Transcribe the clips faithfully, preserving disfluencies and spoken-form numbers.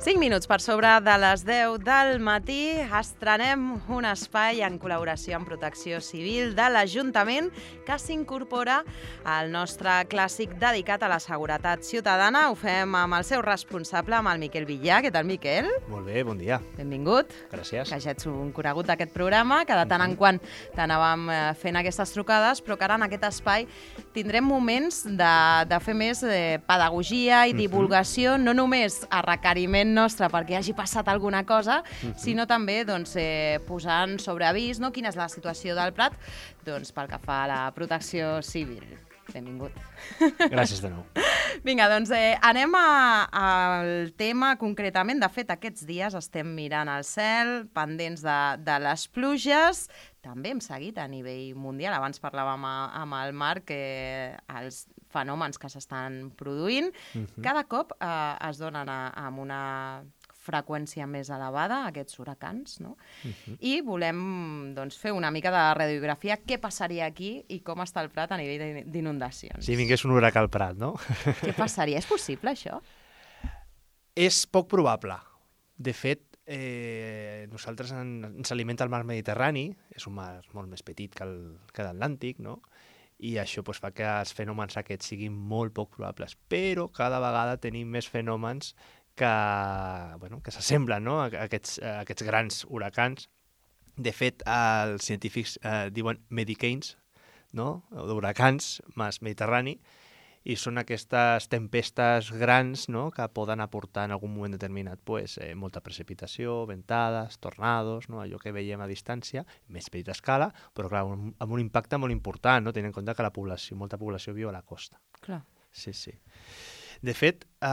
cinc minuts per sobre de les deu del matí estrenem un espai en col·laboració amb Protecció Civil de l'Ajuntament que s'incorpora al nostre clàssic dedicat a la seguretat ciutadana. Ho fem amb el seu responsable, amb el Miquel Villà. Què tal, Miquel? Molt bé, bon dia. Benvingut. Gràcies. Que ja ets un conegut d'aquest programa, que de tant en quant t'anàvem fent aquestes trucades, però que ara en aquest espai tindrem moments de, de fer més eh, pedagogia i divulgació, no només a requeriment nostre perquè hagi passat alguna cosa, uh-huh. sinó també doncs, eh, posant sobre avís, no, quina és la situació del Prat doncs, pel que fa a la protecció civil. Benvingut. Gràcies de nou. Vinga, doncs eh, anem a, al tema concretament. De fet, aquests dies estem mirant al cel, pendents de, de les pluges. També hem seguit a nivell mundial. Abans parlàvem a, amb el Marc que els fenòmens que s'estan produint uh-huh. cada cop eh, es donen a, amb una freqüència més elevada, aquests huracans, no? Uh-huh. I volem doncs, fer una mica de radiografia, què passaria aquí i com està el Prat a nivell d'inundacions. Si vingués un huracà al Prat, no? Què passaria? És possible, això? És poc probable. De fet, eh, nosaltres en, ens alimenta el mar Mediterrani, és un mar molt més petit que el- que l'Atlàntic, no? I això pues, fa que els fenòmens aquests siguin molt poc probables. Però cada vegada tenim més fenòmens que, bueno, que s'assemblen, no? a, aquests, a aquests grans huracans. De fet, els científics eh, diuen medicanes, no? D'huracans més Mediterrani, i són aquestes tempestes grans, no? Que poden aportar en algun moment determinat pues, eh, molta precipitació, ventades, tornados, no? Allò que veiem a distància, més petita escala, però clar, un, amb un impacte molt important, no? Tenint en compte que la població, molta població viu a la costa. Clar. Sí, sí. De fet, eh,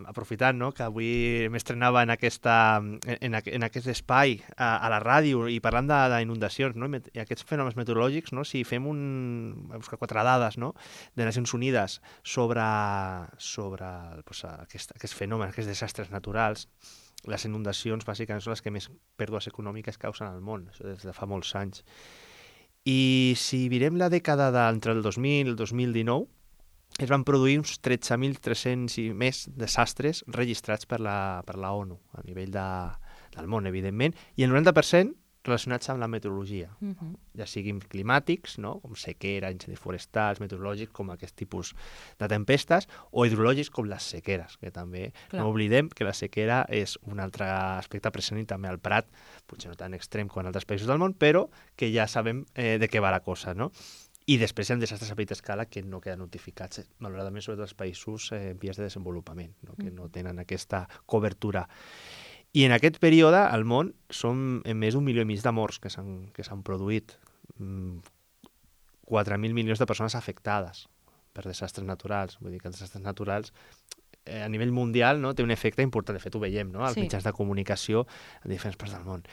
aprofitant no, que avui m'estrenava en, aquesta, en, en, en aquest espai a, a la ràdio i parlant d'inundacions no, i aquests fenòmens meteorològics, no, si fem un, buscar quatre dades no, de Nacions Unides sobre, sobre pues, aquest, aquests fenòmens, aquests desastres naturals, les inundacions bàsicament són les que més pèrdues econòmiques causen al món, això des de fa molts anys. I si mirem la dècada d'entre el dos mil i el dos mil dinou, es van produir uns tretze mil tres-cents i més desastres registrats per la, per la ONU, a nivell de, del món, evidentment, i el noranta per cent relacionats amb la meteorologia, Uh-huh. ja siguin climàtics, no? Com sequera, incendis forestals, meteorològics, com aquest tipus de tempestes, o hidrològics, com les sequeres, que també Clar. no oblidem que la sequera és un altre aspecte present i també al Prat, potser no tan extrem com en altres països del món, però que ja sabem eh, de què va la cosa, no? I després hi ha desastres a petita escala que no queden notificats, malauradament, sobretot els països eh, en vies de desenvolupament, no? Que no tenen aquesta cobertura. I en aquest període, al món, són més d'un milió i mig de morts que s'han que s'han produït. quatre mil milions de persones afectades per desastres naturals. Vull dir que els desastres naturals eh, a nivell mundial no, té un efecte important. De fet, ho veiem no? als Sí. mitjans de comunicació en diferents parts del món.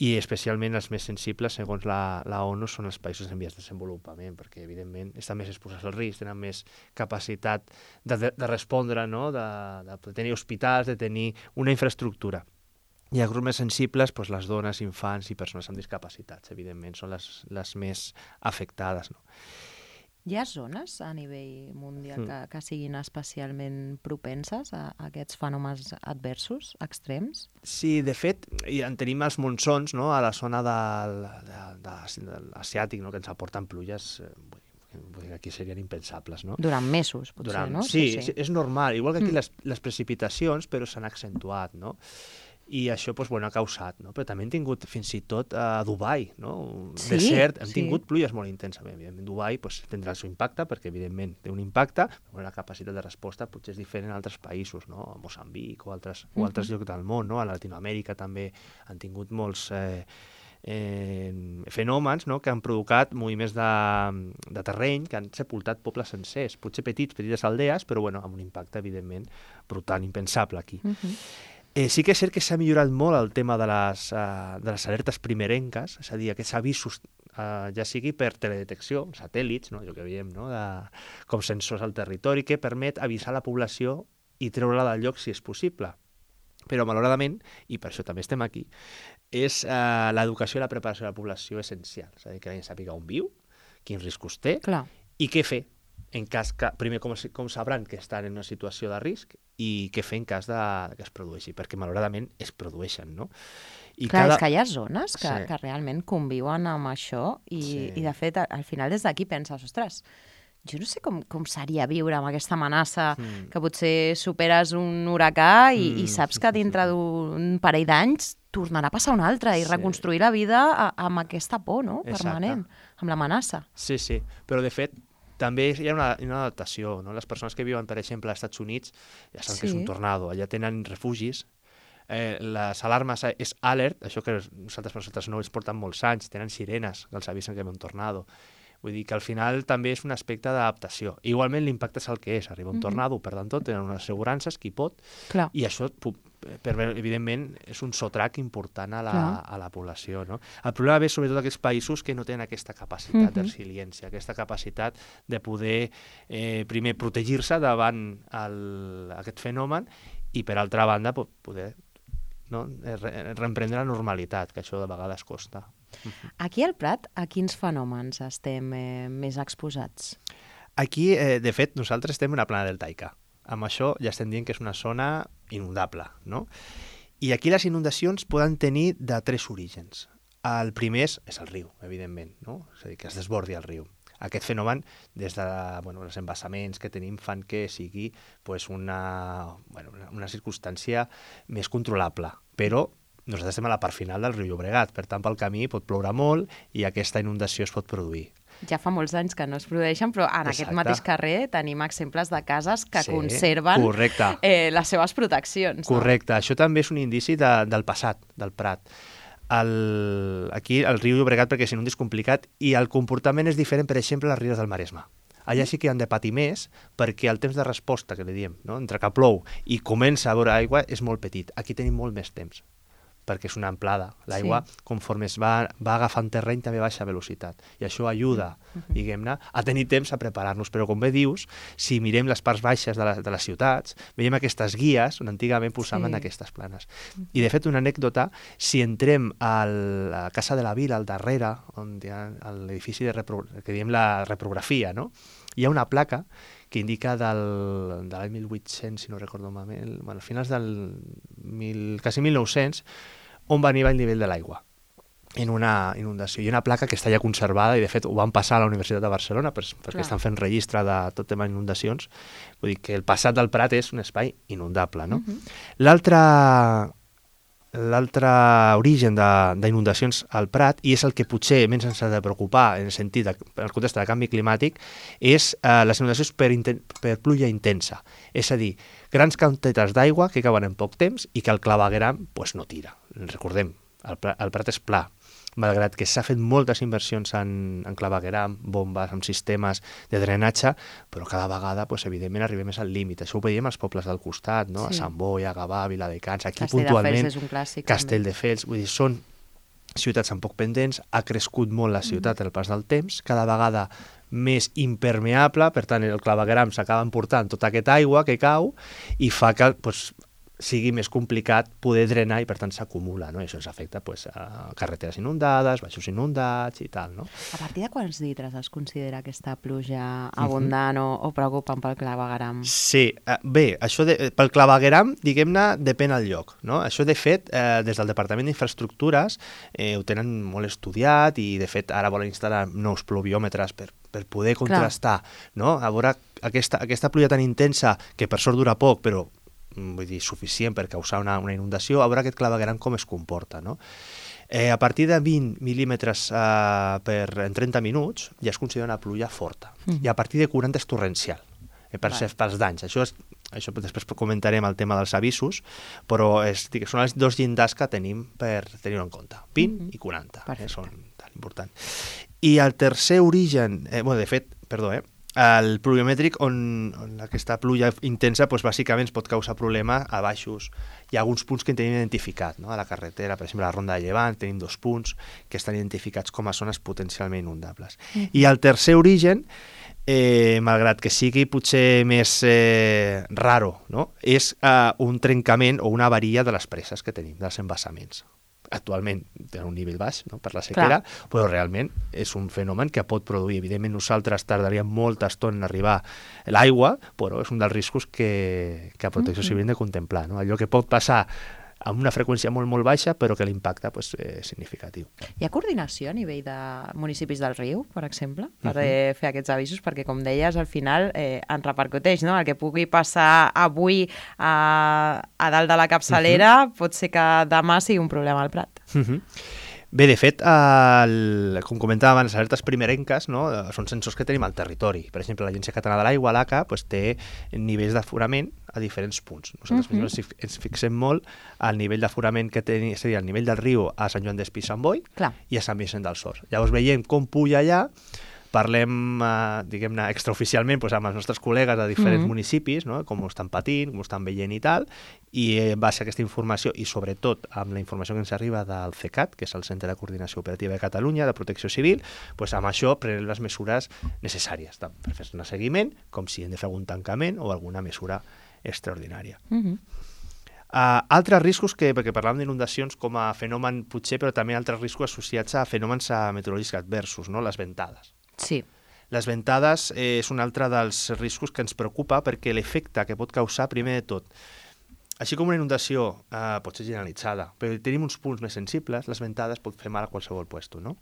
I especialment els més sensibles, segons la, la ONU, són els països en vies de desenvolupament, perquè, evidentment, estan més exposats al risc, tenen més capacitat de, de, de respondre, no? de, de tenir hospitals, de tenir una infraestructura. I els grups més sensibles, doncs, les dones, infants i persones amb discapacitats, evidentment, són les, les més afectades. No? Hi ha zones a nivell mundial Mm. que, que siguin especialment propenses a, a aquests fenòmens adversos, extrems? Sí, de fet, i en tenim els monsons no? A la zona del, de, de, de l'asiàtic, no? Que ens aporten pluges, eh, vull dir, vull dir, aquí serien impensables, no? Durant mesos, potser, Durant... no? Sí, sí, és normal. Igual que aquí Mm. les, les precipitacions, però s'han accentuat, no? I això doncs, bueno, ha causat, no? Però també hem tingut fins i tot a Dubai, no? Un Sí, desert, hem sí. tingut pluges molt intensament. Evidentment, Dubai doncs, tindrà el seu impacte, perquè evidentment té un impacte, però la capacitat de resposta potser és diferent en altres països, no? A Moçambic o altres, o altres llocs del món, no? A Latinoamèrica també han tingut molts eh, eh, fenòmens no? Que han provocat moviments de, de terreny, que han sepultat pobles sencers, potser petits, petites aldees, però bueno, amb un impacte, evidentment, brutal, impensable aquí. Uh-huh. Eh, sí que és cert que s'ha millorat molt el tema de les, uh, de les alertes primerenques, és a dir, aquests avisos, uh, ja sigui per teledetecció, satèl·lits, no? Allò que veiem, no? De, com sensors al territori, que permet avisar la població i treure-la del lloc si és possible. Però, malauradament, i per això també estem aquí, és uh, l'educació i la preparació de la població essencial. És a dir, que la gent sàpiga on viu, quins riscos té Clar. i què fer en cas que, primer, com, com sabran que estan en una situació de risc i què fer en cas de, que es produeixi, perquè malauradament es produeixen, no? I Clar, cada... és que hi ha zones que, sí. que realment conviuen amb això i, sí. i de fet, al final des d'aquí penses, ostres, jo no sé com, com seria viure amb aquesta amenaça mm. que potser superes un huracà i, mm. i saps que dintre d'un parell d'anys tornarà a passar un altre i sí. reconstruir la vida a, amb aquesta por, no?, permanent, Exacte. amb l'amenaça. Sí, sí, però de fet també hi ha una, una adaptació, no? Les persones que viuen, per exemple, als Estats Units ja saben sí. que és un tornado, allà tenen refugis. Eh, les alarmes és alert, això que nosaltres per nosaltres no es porten molts anys, tenen sirenes que els avisen que ve un tornado. Vull dir que al final també és un aspecte d'adaptació. Igualment l'impacte és el que és, arriba un mm-hmm. tornado, per tant tot, tenen unes assegurances, qui pot, Clar. i això, per, evidentment, és un sotrac important a la, a la població. No? El problema ve sobretot aquests països que no tenen aquesta capacitat mm-hmm. de resiliència, aquesta capacitat de poder, eh, primer, protegir-se davant el, aquest fenomen i, per altra banda, poder no? reemprendre la normalitat, que això de vegades costa. Aquí al Prat, a quins fenòmens estem eh, més exposats? Aquí, eh, de fet, nosaltres estem en una plana deltaica. Amb això ja estem dient que és una zona inundable, no? I aquí les inundacions poden tenir de tres orígens. El primer és, és el riu, evidentment, no? És a dir, que es desbordi el riu. Aquest fenomen, des de bueno, els embassaments que tenim, fan que sigui pues, una, bueno, una circumstància més controlable. Però nosaltres estem a la part final del riu Llobregat, per tant, pel camí pot ploure molt i aquesta inundació es pot produir. Ja fa molts anys que no es produeixen, però en Exacte. Aquest mateix carrer tenim exemples de cases que sí, conserven eh, les seves proteccions. Correcte. No? Això també és un indici de, del passat, del Prat. El, aquí el riu Llobregat perquè si no és complicat i el comportament és diferent, per exemple, a les rieres del Maresme. Allà sí que han de patir més perquè el temps de resposta, que li diem, no? entre que plou i comença a veure aigua, és molt petit. Aquí tenim molt més temps, perquè és una amplada. L'aigua, sí. conforme es va, va agafant terreny, també baixa velocitat. I això ajuda, uh-huh. diguem-ne, a tenir temps a preparar-nos. Però, com bé dius, si mirem les parts baixes de, la, de les ciutats, veiem aquestes guies on antigament posaven sí. aquestes planes. Uh-huh. I, de fet, una anècdota, si entrem a la Casa de la Vila, al darrere, on hi ha l'edifici de repro... que diem la reprografia, no? Hi ha una placa que indica del, de l'any mil vuit-cents, si no recordo malament, bueno, a finals del mil, quasi mil nou-cents, on va arribar el nivell de l'aigua en una inundació. Hi ha una placa que està ja conservada i, de fet, ho van passar a la Universitat de Barcelona per, perquè Clar. Estan fent registre de tot tema d'inundacions. Vull dir que el passat del Prat és un espai inundable, no? Uh-huh. L'altre... L'altre origen d'inundacions al Prat, i és el que potser menys ens ha de preocupar en el sentit, de, en el context del canvi climàtic, és eh, les inundacions per, inten per pluja intensa. És a dir, grans quantitats d'aigua que cauen en poc temps i que el clavegueram pues, no tira. Recordem, el, el Prat és pla. Malgrat que s'ha fet moltes inversions en, en clavegueram, bombes, en sistemes de drenatge, però cada vegada, pues, evidentment, arribem més al límit. Això ho veiem als pobles del costat, no? Sí. A Sant Boi, a Gavà, a Viladecans, aquí Castell puntualment... és un clàssic. Castelldefels, vull dir, són ciutats amb poc pendents, ha crescut molt la ciutat mm. el pas del temps, cada vegada més impermeable, per tant, el clavegueram s'acaba emportant tota aquesta aigua que cau i fa que, pues, sigui més complicat poder drenar i, per tant, s'acumula, no? I això ens afecta pues, a carreteres inundades, baixos inundats i tal, no? A partir de quants litres es considera aquesta pluja abundant uh-huh. o, o preocupant pel clavegueram? Sí, eh, bé, això de, pel clavegueram, diguem-ne, depèn del lloc, no? Això, de fet, eh, des del Departament d'Infraestructures eh, ho tenen molt estudiat i, de fet, ara volen instal·lar nous pluviòmetres per per poder contrastar, Clar. No? A veure aquesta, aquesta pluja tan intensa, que per sort dura poc, però vull dir, suficient per causar una, una inundació, a veure aquest clavegueram com es comporta, no? Eh, a partir de vint mil·límetres eh, per, en trenta minuts ja es considera una pluja forta. Mm. I a partir de quaranta és torrencial, eh, per ser, pels danys. Això, és, això després comentarem el tema dels avisos, però és, dic, són els dos llindars que tenim per tenir-ho en compte, vint mm. i quaranta, que són tan importants. I el tercer origen, eh, bueno, de fet, perdó, eh, el pluviomètric, on, on aquesta pluja intensa doncs, bàsicament es pot causar problemes a baixos. Hi ha alguns punts que en tenim identificat, no? A la carretera, per exemple, a la Ronda de Llevant, tenim dos punts que estan identificats com a zones potencialment inundables. Mm. I el tercer origen, eh, malgrat que sigui potser més eh, raro, no? És eh, un trencament o una avaria de les preses que tenim, dels embassaments. actualment tenen un nivell baix, no?, per la sequera, clar, però realment és un fenomen que pot produir. Evidentment nosaltres tardaríem molta estona en arribar a l'aigua, però és un dels riscos que, que a Protecció Civil hem de contemplar, no? Allò que pot passar amb una freqüència molt, molt baixa, però que l'impacte pues, és significatiu. Hi ha coordinació a nivell de municipis del riu, per exemple, per uh-huh. eh, fer aquests avisos? Perquè, com deies, al final eh, en repercuteix, no? El que pugui passar avui a, a dalt de la capçalera uh-huh. pot ser que demà sigui un problema al Prat. Uh-huh. Bé, de fet, el, com comentàvem abans, les alertes primerenques, no, són sensors que tenim al territori. Per exemple, l'Agència Catalana de l'Aigua, l'A C A, pues, té nivells d'aforament a diferents punts. Nosaltres uh-huh. ens, ens fixem molt al nivell d'aforament que tenim, seria el nivell del riu a Sant Joan d'Espí i Sant Boi Clar. I a Sant Vicent del Sors. Llavors veiem com puja allà, parlem, eh, diguem-ne, extraoficialment pues, amb els nostres col·legues de diferents mm-hmm. municipis, no?, com ho estan patint, com ho estan veient i tal, i en base a aquesta informació, i sobretot amb la informació que ens arriba del CECAT, que és el Centre de Coordinació Operativa de Catalunya, de Protecció Civil, pues, amb això prenem les mesures necessàries per fer un seguiment, com si hem de fer algun tancament o alguna mesura extraordinària. Mm-hmm. Uh, altres riscos, que, perquè parlàvem d'inundacions com a fenomen potser, però també altres riscos associats a fenòmens meteorològics adversos, no?, les ventades. Sí. Les ventades eh, és un altre dels riscos que ens preocupa perquè l'efecte que pot causar, primer de tot, així com una inundació eh, pot ser generalitzada, però tenim uns punts més sensibles, les ventades pot fer mal a qualsevol puesto, no?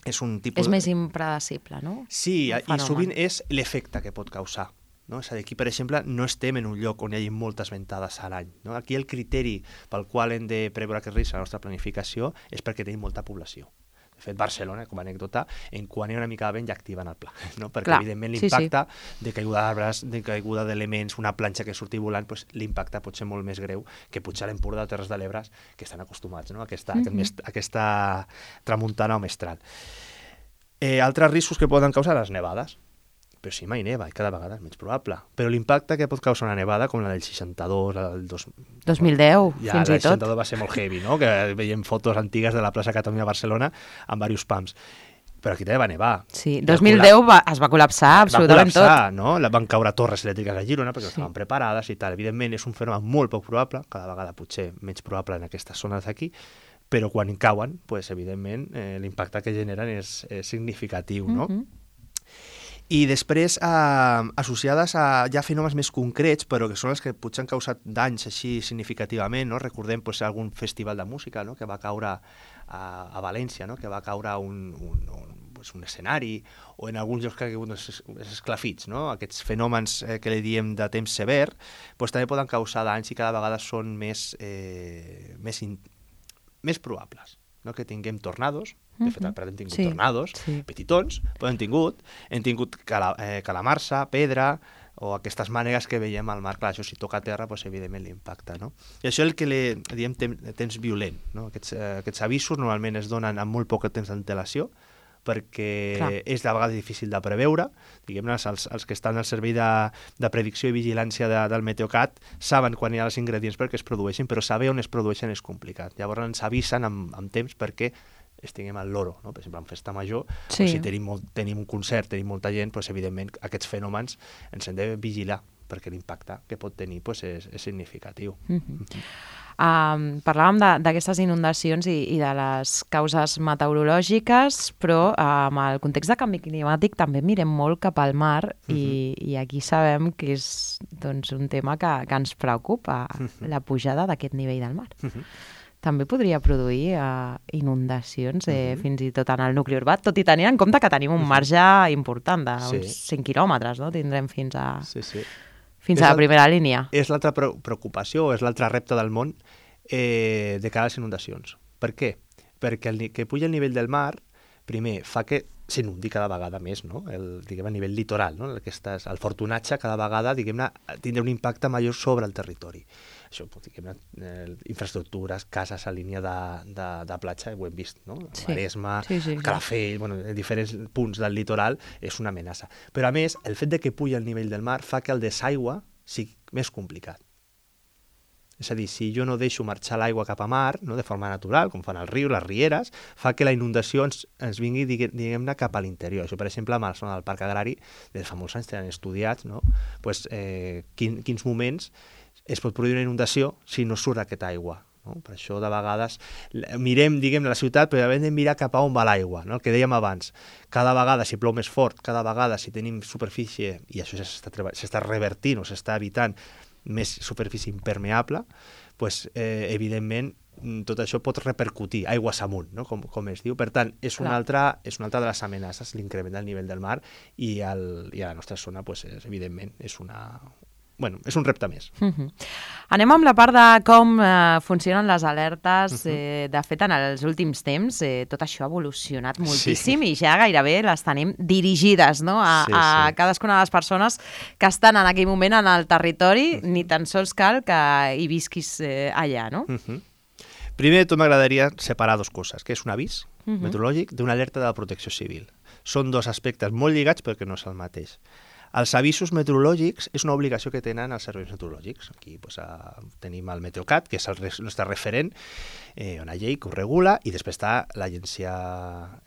És un tipus... És més impredecible, no? Sí, i sovint és l'efecte que pot causar. No? És a dir, aquí, per exemple, no estem en un lloc on hi hagi moltes ventades a l'any. No? Aquí el criteri pel qual hem de preveure aquest risc a la nostra planificació és perquè tenim molta població. De fet, Barcelona, com a anècdota, en quan hi ha una mica de vent ja activen el pla, no? Perquè Clar, evidentment l'impacte sí, sí. de caiguda d'arbres, de caiguda d'elements, una planxa que surti volant, pues, l'impacte pot ser molt més greu que potser a l'Empordà o Terres de l'Ebre, que estan acostumats, no?, a aquesta, mm-hmm. aquest, aquesta tramuntana o mestral. Eh, altres riscos que poden causar les nevades. Però sí, mai neva, i cada vegada és menys probable. Però l'impacte que pot causar una nevada, com la del seixanta-dos, la del dos... dos mil deu, ja, fins i tot. Ja, la del seixanta-dos va ser molt heavy, no?, que veiem fotos antigues de la plaça Catalunya a Barcelona amb diversos pams. Però aquí també va nevar. Sí, dos mil deu va, es va col·lapsar absolutament tot. Va col·lapsar, no? Van caure torres elèctriques a Girona perquè sí. estaven preparades i tal. Evidentment és un fenomen molt poc probable, cada vegada potser menys probable en aquestes zones d'aquí, però quan cauen, pues, evidentment, eh, l'impacte que generen és, és significatiu, no? Mm-hmm. I després, eh, associades a ja fenòmens més concrets, però que són els que potser han causat danys així significativament, no? Recordem pues, algun festival de música, no?, que va caure a, a València, no?, que va caure un, un, un, pues, un escenari, o en alguns llocs que ha caigut els esclafits, no? Aquests fenòmens eh, que li diem de temps sever, pues, també poden causar danys i cada vegada són més, eh, més, in, més probables. No? Que tinguem tornados, de fet al Prat hem tingut sí, tornados, sí. petitons, però hem tingut, hem tingut cala, eh, calamarsa, pedra, o aquestes mànegues que veiem al mar, clar, això si toca a terra, doncs, evidentment l'impacta, no? I això és el que li diem temps, temps violent, no? Aquests, eh, aquests avisos normalment es donen amb molt poc temps d'antelació, perquè clar. És de vegades difícil de preveure, diguem-ne, els, els que estan al servei de, de predicció i vigilància de, del Meteocat saben quan hi ha els ingredients perquè es produeixen, però saber on es produeixen és complicat. Llavors ens avisen amb, amb temps perquè estiguem al loro, no? Per exemple, en festa major, sí. o si tenim, molt, tenim un concert, tenim molta gent, doncs, evidentment aquests fenòmens ens hem de vigilar, perquè l'impacte que pot tenir doncs, és, és significatiu. Mm-hmm. Mm-hmm. Um, parlàvem d'aquestes inundacions i, i de les causes meteorològiques, però uh, amb el context de canvi climàtic també mirem molt cap al mar uh-huh. i, i aquí sabem que és doncs, un tema que, que ens preocupa, uh-huh. la pujada d'aquest nivell del mar. Uh-huh. També podria produir uh, inundacions eh, uh-huh. fins i tot en el nucli urbà, tot i tenint en compte que tenim un marge important d'uns sí. cent quilòmetres, no? Tindrem fins a... Sí, sí. Fins a la primera línia. És l'altra preocupació, és l'altre repte del món eh, de cara a les inundacions. Per què? Perquè el que puja el nivell del mar, primer, fa que s'inundi cada vegada més, no? El, diguem, a nivell litoral, no? Aquestes, el fortunatge cada vegada, diguem-ne, tindrà un impacte major sobre el territori. Això, diguem-ne, eh, infraestructures, cases a línia de, de, de platja, ho hem vist, no? Sí. Maresme, sí, sí, Calafell, sí. Bueno, en diferents punts del litoral, és una amenaça. Però, a més, el fet de que puja el nivell del mar fa que el desaigua sigui més complicat. És a dir, si jo no deixo marxar l'aigua cap a mar, no, de forma natural, com fan el riu, les rieres, fa que la inundació ens, ens vingui, diguem-ne, cap a l'interior. Això, per exemple, amb la zona del Parc Agrari, des de fa molts anys tenen estudiats, no? Pues, eh, quin, quins moments es pot produir una inundació si no surt aquesta aigua, no? Per això, de vegades, mirem, diguem, la ciutat, però hem de mirar cap a on va l'aigua, no? El que dèiem abans. Cada vegada, si plou més fort, cada vegada, si tenim superfície, i això s'està revertint o s'està evitant més superfície impermeable, pues, eh, evidentment, tot això pot repercutir aigües amunt, no? com, com es diu. Per tant, és una, altra, és una altra de les amenaces, l'increment del nivell del mar, i, el, i a la nostra zona, pues, és, evidentment, és una... Bueno, és un repte més. Uh-huh. Anem amb la part de com eh, funcionen les alertes. Uh-huh. eh, de fet, en els últims temps, eh, tot això ha evolucionat moltíssim, sí. I ja gairebé les tenim dirigides, no? a, sí, sí. a cadascuna de les persones que estan en aquell moment en el territori, uh-huh. ni tan sols cal que hi visquis eh, allà, no? Uh-huh. Primer de tot m'agradaria separar dues coses, que és un avís uh-huh. meteorològic d'una alerta de la protecció civil. Són dos aspectes molt lligats perquè no és el mateix. Els avisos meteorològics és una obligació que tenen els serveis meteorològics. Aquí pues, a, tenim el Meteocat, que és el nostre referent, eh, una llei que ho regula, i després està l'Agència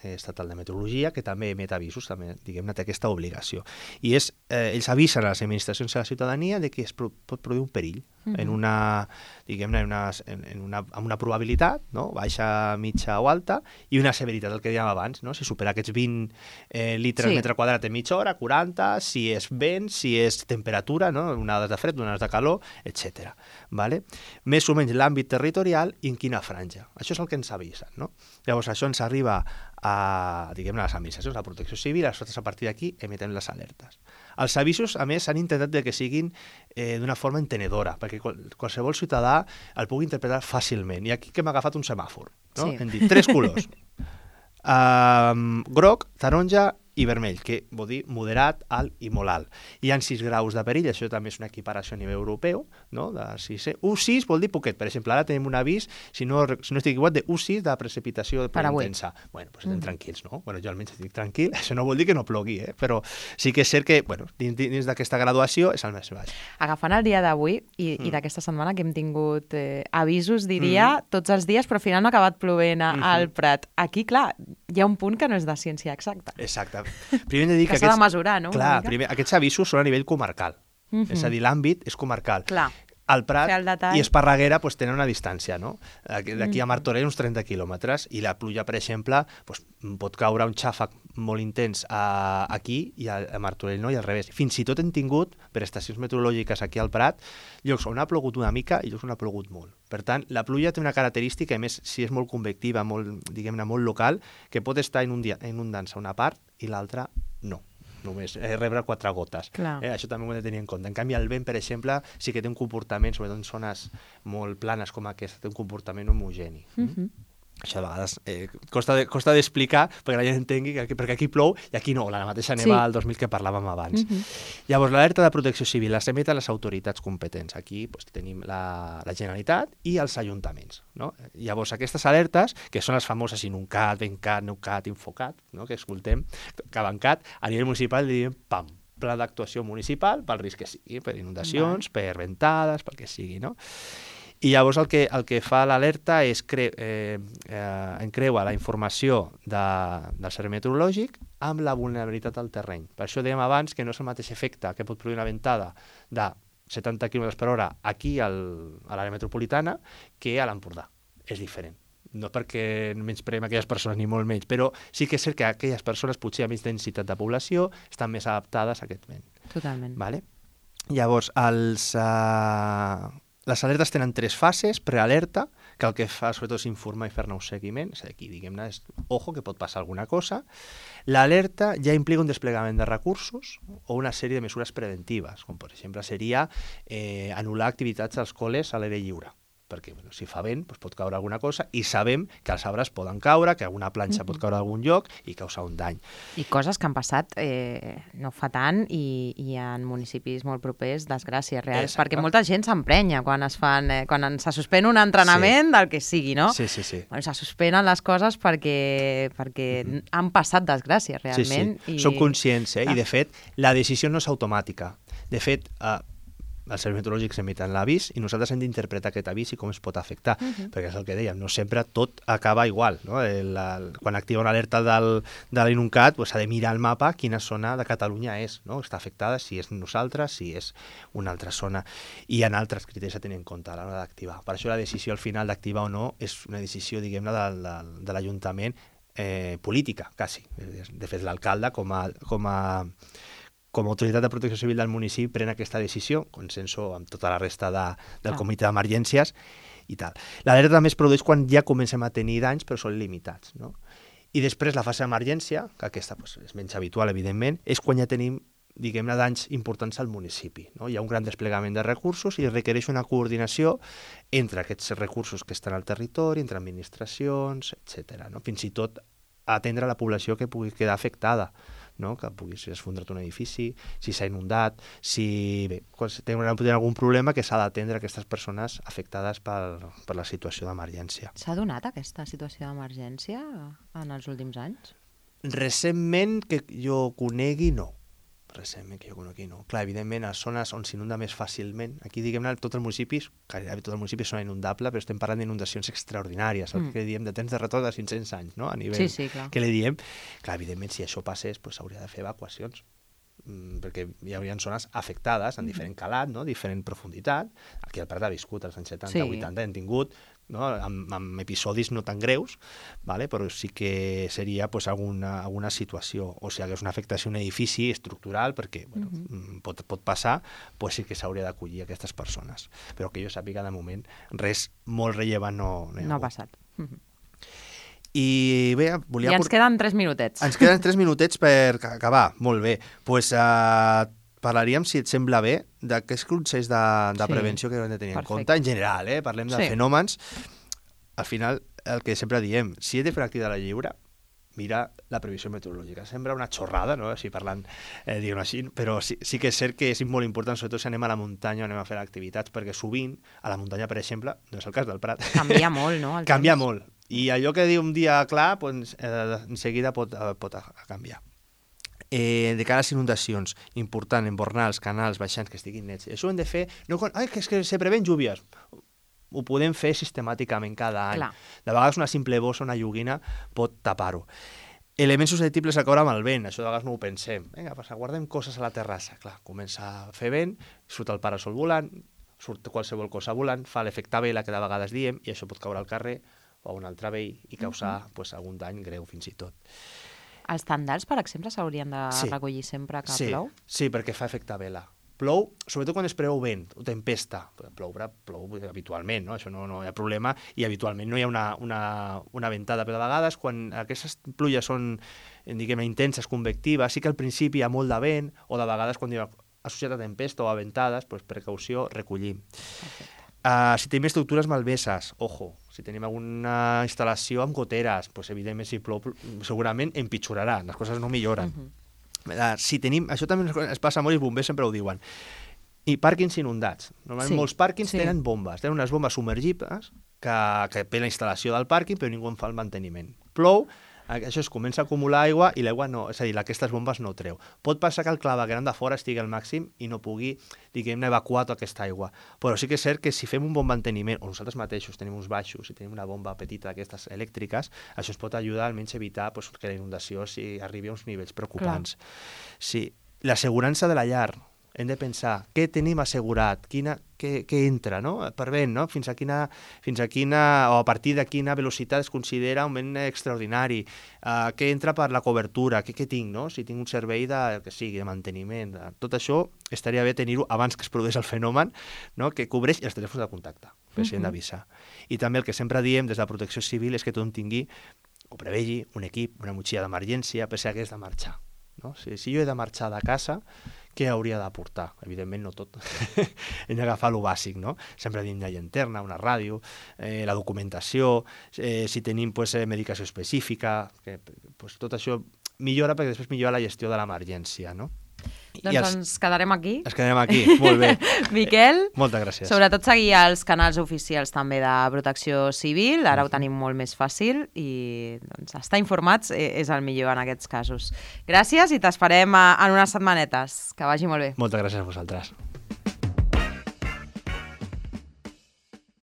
Estatal de Meteorologia, que també emet avisos, també, diguem-ne, té aquesta obligació. I és, eh, ells avisen a les administracions i a la ciutadania de que es pro pot produir un perill, uh-huh. en una, diguem-ne, en una, en, en una, amb una probabilitat, no? Baixa, mitja o alta, i una severitat, el que dèiem abans, no? Si supera aquests vint eh, litres sí. metre quadrat en mitja hora, quaranta, si és vent, si és temperatura, no? Onades de fred, onades de calor, etcètera. Vale? Més o menys l'àmbit territorial i en quina franja. Això és el que ens avisen, no? Llavors, això ens arriba a, diguem-ne, a les administracions, a la protecció civil, nosaltres a partir d'aquí emitem les alertes. Els avisos, a més, s'han intentat de que siguin eh, d'una forma entenedora, perquè qual, qualsevol ciutadà el pugui interpretar fàcilment. I aquí que hem agafat un semàfor, no? Sí. Hem dit tres colors. um, groc, taronja i vermell, que vol dir moderat, alt i molt alt. Hi ha sis graus de perill, això també és una equiparació a nivell europeu, no? De sis, U sis vol dir poquet. Per exemple, ara tenim un avís, si no, si no estic equivocat, de U sis de precipitació de intensa. Bueno, doncs estem mm. tranquils, no? Bueno, jo almenys estic tranquil, això no vol dir que no plogui, eh? Però sí que és cert que, bueno, dins, dins d'aquesta graduació és el més baix. Agafant el dia d'avui i, mm. i d'aquesta setmana que hem tingut eh, avisos, diria, mm. tots els dies, però al final no ha acabat plovent a, mm-hmm. al Prat. Aquí, clar, hi ha un punt que no és de ciència exacta. Exacte. Primer hem de dir que, que s'ha de mesurar, no? Clar, primer, aquests avisos són a nivell comarcal. Uh-huh. És a dir, l'àmbit és comarcal. Clar. Al Prat i Esparreguera pues, tenen una distància, no? D'aquí a Martorell uns trenta quilòmetres, i la pluja, per exemple, pues, pot caure un xàfec molt intens a, aquí i a, a Martorell no, i al revés. Fins i tot hem tingut, per estacions meteorològiques aquí al Prat, llocs on ha plogut una mica i llocs on ha plogut molt. Per tant, la pluja té una característica, a més, si és molt convectiva, molt, diguem-ne, molt local, que pot estar inundant-se una part i l'altra no. Només eh, rebre quatre gotes. Eh, això també ho hem de tenir en compte. En canvi, el vent, per exemple, sí que té un comportament, sobretot en zones molt planes com aquesta, té un comportament homogeni. Mm-hmm. Això a vegades eh, costa, de, costa d'explicar perquè la gent entengui que, perquè aquí plou i aquí no, la mateixa neva sí. al dos mil que parlàvem abans. Mm-hmm. Llavors, l'alerta de protecció civil les emeten les autoritats competents. Aquí doncs, tenim la, la Generalitat i els ajuntaments. No? Llavors, aquestes alertes, que són les famoses INUNCAT, VENCAT, NEUCAT, INFOCAT, no? que escoltem, CAVANCAT, a nivell municipal diem PAM, Pla d'actuació municipal pel risc que sigui, per inundacions, vale. per ventades, pel que sigui, no? I llavors el que, el que fa l'alerta és cre eh, eh, encreua la informació de, del servei meteorològic amb la vulnerabilitat al terreny. Per això dèiem abans que no és el mateix efecte que pot produir una ventada de setanta quilòmetres per hora aquí al, a l'àrea metropolitana que a l'Empordà. És diferent. No perquè menyspreem aquelles persones ni molt menys, però sí que és cert que aquelles persones potser amb més densitat de població estan més adaptades a aquest vent. Totalment. Vale? Llavors, els... Uh... Les alertes tenen tres fases, prealerta, que el que fa sobretot és informar i fer-ne un seguiment, és a dir, aquí, diguem-ne, és ojo, que pot passar alguna cosa. L'alerta ja implica un desplegament de recursos o una sèrie de mesures preventives, com per exemple seria eh, anul·lar activitats als col·les a l'aire lliure, perquè bueno, si fa vent doncs pot caure alguna cosa i sabem que els arbres poden caure, que alguna planxa mm-hmm. pot caure a algun lloc i causar un dany. I coses que han passat eh, no fa tant i, i en municipis molt propers, desgràcies reals, Exacte. perquè molta gent s'emprenya quan es fan, eh, quan se suspèn un entrenament sí. del que sigui, no? Sí, sí, sí. Bueno, se suspenen les coses perquè, perquè mm-hmm. han passat desgràcies realment. Sí, sí. I... Som conscients, eh? Ah. I de fet, la decisió no és automàtica. De fet, eh, els serveis meteorològics emiten l'avís i nosaltres hem d'interpretar aquest avís i com es pot afectar, uh -huh. perquè és el que dèiem, no sempre tot acaba igual, no? El, el, quan activa una alerta del, de l'INUCAT pues, s'ha de mirar al mapa quina zona de Catalunya és, no? Està afectada, si és nosaltres, si és una altra zona, i hi ha altres criteris a tenir en compte a l'hora d'activar. Per això la decisió al final d'activar o no és una decisió, diguem-ne, de, de, de l'Ajuntament eh, política, quasi. De fet, l'alcalde com a, com a com a autoritat de protecció civil del municipi pren aquesta decisió, consenso amb tota la resta de, del ah. comitè d'emergències i tal. L'alerta també es produeix quan ja comencem a tenir danys, però són limitats, no? I després la fase d'emergència, que aquesta pues, és menys habitual, evidentment, és quan ja tenim, diguem-ne, danys importants al municipi, no? Hi ha un gran desplegament de recursos i requereix una coordinació entre aquests recursos que estan al territori, entre administracions, etcètera, no? Fins i tot atendre la població que pugui quedar afectada, no? Que pugui ser esfondrat un edifici, si s'ha inundat, si bé, quan tenen algun problema que s'ha d'atendre aquestes persones afectades per, per la situació d'emergència. S'ha donat aquesta situació d'emergència en els últims anys? Recentment, que jo conegui, no. Recentment, que jo conegui, no. Clar, evidentment, a zones on s'inunda més fàcilment, aquí, diguem-ne, tots els municipis, gairebé tot el municipi és zona inundable, però estem parlant d'inundacions extraordinàries, el mm. que diem de temps de retorn de cinc-cents anys, no? A nivell sí, sí, clar. Que li diem. Clar, evidentment, si això passés, pues, s'hauria de fer evacuacions, mm, perquè hi haurien zones afectades en diferent calat, no? Diferent profunditat. Aquí al Prat ha viscut als anys setanta, sí. vuitanta, hem tingut, no? amb, amb episodis no tan greus, vale? Però sí que seria pues, alguna, alguna situació, o si hagués una afectació a un edifici estructural, perquè bueno, uh-huh. pot, pot passar, pues sí que s'hauria d'acollir aquestes persones. Però que jo sàpiga, de moment, res molt rellevant no, no hi ha No ha hagut. passat. Uh-huh. I bé, volia... I ens queden tres minutets. Ens queden tres minutets per acabar. Molt bé. Doncs pues, uh, parlaríem, si et sembla bé, d'aquests consells de, de sí. prevenció que hem de tenir Perfecte. en compte. En general, eh? Parlem de sí. fenòmens. Al final, el que sempre diem, si he de fer una activitat lliure, mira la previsió meteorològica. Sembla una xorrada, no? Així parlant, eh, diguem així, però sí, sí que és cert que és molt important, sobretot si anem a la muntanya o anem a fer activitats, perquè sovint, a la muntanya, per exemple, no és el cas del Prat. Canvia molt, no? Canvia temps. molt. I allò que diu un dia clar, pues, eh, en seguida pot, eh, pot canviar. Eh, de cara a les inundacions, important, embornals, canals, baixants que estiguin nets. Això ho hem de fer... No, ai, que és que se preven llúvies. Ho podem fer sistemàticament cada any. Clar. De vegades una simple bossa, una lloguina, pot tapar-ho. Elements susceptibles a caure amb el vent, això de vegades no ho pensem. Vinga, pues, guardem coses a la terrassa. Clar, comença a fer vent, surt el parasol volant, surt qualsevol cosa volant, fa l'efecte vela que de vegades diem, i això pot caure al carrer o a un altre veí i causar uh-huh. pues, algun dany greu fins i tot. Els tendals, per exemple, s'haurien de sí. recollir sempre que sí. plou? Sí, perquè fa efecte vela. Plou, sobretot quan es preveu vent o tempesta. Ploure, plou habitualment, no? Això no, no hi ha problema, i habitualment no hi ha una, una, una ventada, però de vegades quan aquestes pluges són, diguem, intenses, convectives, sí que al principi hi ha molt de vent, o de vegades quan hi ha associat a tempesta o a ventades, doncs precaució, recollim. Okay. Uh, si tenim estructures malmeses, ojo, si tenim alguna instal·lació amb goteres, doncs evidentment si plou segurament empitjorarà, les coses no milloren. Uh-huh. uh, si tenim, això també es passa molt i els bombers sempre ho diuen, i pàrquings inundats. Normalment sí. molts pàrquings sí. tenen bombes, tenen unes bombes submergibles que, que per la instal·lació del pàrquing, però ningú en fa el manteniment. Plou, això es comença a acumular aigua i l'aigua no, és a dir, aquestes bombes no treu. Pot passar que el clavegueram de fora estigui al màxim i no pugui, diguem-ne, evacuar tota aquesta aigua. Però sí que és cert que si fem un bon manteniment, o nosaltres mateixos tenim uns baixos i tenim una bomba petita d'aquestes elèctriques, això ens pot ajudar almenys a evitar pues, que la inundació si arribi a uns nivells preocupants. Clar. Sí, l'assegurança de la llar. Hem de pensar què tenim assegurat, quina, què, què entra, no? Per vent, no? Fins a quina, fins a quina, o a partir de quina velocitat es considera un vent extraordinari, uh, què entra per la cobertura, què, què tinc, no? Si tinc un servei de, que sigui, de manteniment, de... tot això estaria bé tenir-ho abans que es produeix el fenomen, no? Que cobreix els telèfons de contacte, que s'hi han d'avisar. I també el que sempre diem des de la protecció civil és que tothom tingui, o prevegi, un equip, una motxilla d'emergència, per si hagués de marxar. No? Si, si jo he de marxar de casa, què hauria d'aportar? Evidentment no tot. Hem d'agafar lo bàsic, no? Sempre diem una llanterna, una ràdio, eh, la documentació, eh, si tenim pues, eh, medicació específica, que, pues, tot això millora perquè després millora la gestió de l'emergència, no? Doncs els... ens quedarem aquí. Ens quedarem aquí, molt bé. Miquel, moltes gràcies. Sobretot seguir els canals oficials també de Protecció Civil, ara ho tenim molt més fàcil i doncs, estar informats és el millor en aquests casos. Gràcies i t'esperem en unes setmanetes. Que vagi molt bé. Moltes gràcies a vosaltres.